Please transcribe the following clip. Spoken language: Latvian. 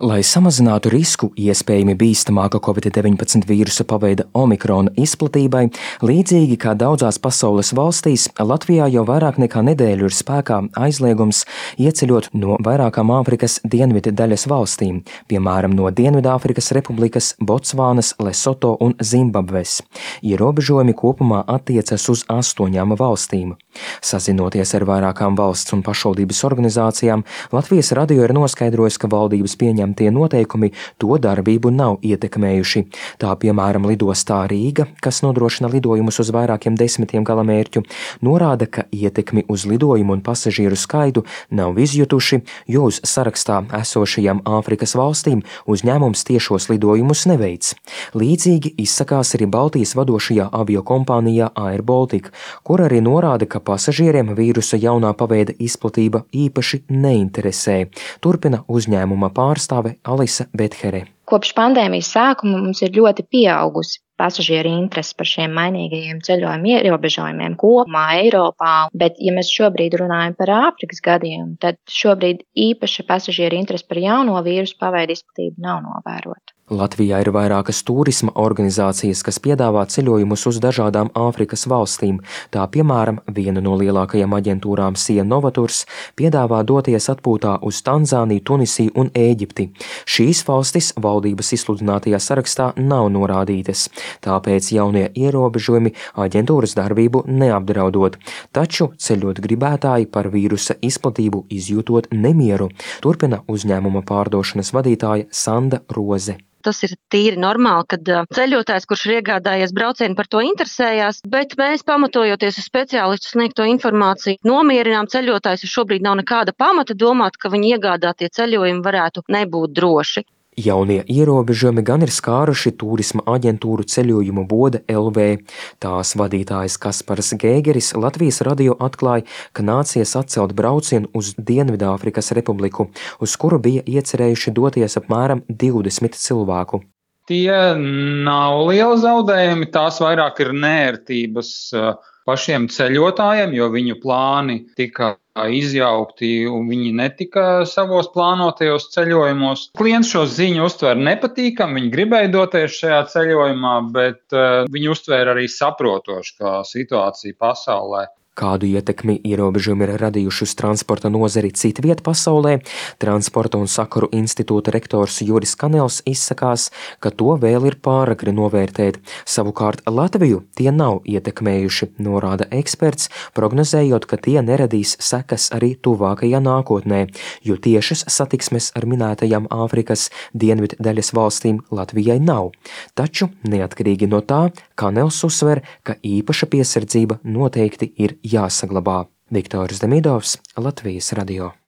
Lai samazinātu risku iespējami bīstamāka Covid-19 vīrusa paveida omikrona izplatībai, līdzīgi kā daudzās pasaules valstīs, Latvijā jau vairāk nekā nedēļu ir spēkā aizliegums ieceļot no vairākām Āfrikas dienvidu daļas valstīm, piemēram, no Dienvidāfrikas Republikas, Botsvānas, Lesoto un Zimbabves. Ierobežojumi kopumā attiecas uz 8 valstīm. Sazinoties ar vairākām valsts un pašvaldības organizācijām, Latvijas radio ir noskaidrojis, ka valdības pieņemtie noteikumi to darbību nav ietekmējuši. Tā piemēram lidostā Rīga, kas nodrošina lidojumus uz vairākiem desmitiem galamērķu, norāda, ka ietekmi uz lidojumu un pasažieru skaitu nav izjutuši, jo uz sarakstā esošajām Āfrikas valstīm uzņēmums tiešos lidojumus neveic. Līdzīgi izsakās arī Baltijas vadošajā aviokompānijā Air Baltica, kur arī norāda, ka pasažieriem vīrusa jaunā paveida izplatība īpaši neinteresē. Turpina uzņēmuma pārstāve Alise Bethere. Kopš pandēmijas sākuma mums ir ļoti pieaugusi pasažieru interese par šiem mainīgajiem ceļojuma ierobežojumiem kopumā Eiropā, bet ja mēs šobrīd runājam par Āfrikas gadījumu, tad šobrīd īpaša pasažieru interese par jauno vīrusu paveida izplatību nav novērota. Latvijā ir vairākas turisma organizācijas, kas piedāvā ceļojumus uz dažādām Āfrikas valstīm. Tā piemēram, viena no lielākajām aģentūrām Sia Novaturs piedāvā doties atpūtā uz Tanzāniju, Tunisiju un Ēģipti. Šīs valstis valdības izsludinātajā sarakstā nav norādītas, tāpēc jaunie ierobežojumi aģentūras darbību neapdraudot. Taču ceļot gribētāji par vīrusa izplatību izjūtot nemieru, turpina uzņēmuma pārdošanas vadītāja Sanda Roze. Tas ir tīri normāli, kad ceļotājs, kurš ir iegādājies braucienu, par to interesējās, bet mēs, pamatojoties uz speciālistu sniegto informāciju, nomierinām ceļotājus, jo šobrīd nav nekāda pamata domāt, ka viņi iegādātie ceļojumi varētu nebūt droši. Jaunie ierobežojumi gan ir skāruši turisma aģentūru Ceļojumu Bode LV. Tās vadītājs Kaspars Gēgeris Latvijas radio atklāja, ka nācies atcelt braucienu uz Dienvidāfrikas Republiku, uz kuru bija iecerējuši doties apmēram 20 cilvēku. Tie nav lieli zaudējumi, tās vairāk ir neērtības pašiem ceļotājiem, jo viņu plāni tika izjaukti un viņi netika savos plānotajos ceļojumos. Klients šo ziņu uztver nepatīkam, viņi gribēja doties šajā ceļojumā, bet viņi uztvēra arī saprotoši, kā situācija pasaulē. Kādu ietekmi ierobežojumi ir radījuši uz transporta nozari citviet pasaulē, Transporta un sakaru institūta rektors Juris Kanels izsakās, ka to vēl ir pāragri novērtēt. Savukārt Latviju tie nav ietekmējuši, norāda eksperts, prognozējot, ka tie neradīs sekas arī tuvākajā nākotnē, jo tiešas satiksmes ar minētajām Āfrikas dienvidu daļas valstīm Latvijai nav. Taču, neatkarīgi no tā, Kanels uzsver, ka īpaša piesardzība noteikti ir jāsaglabā. Viktors Demidovs, Latvijas radio.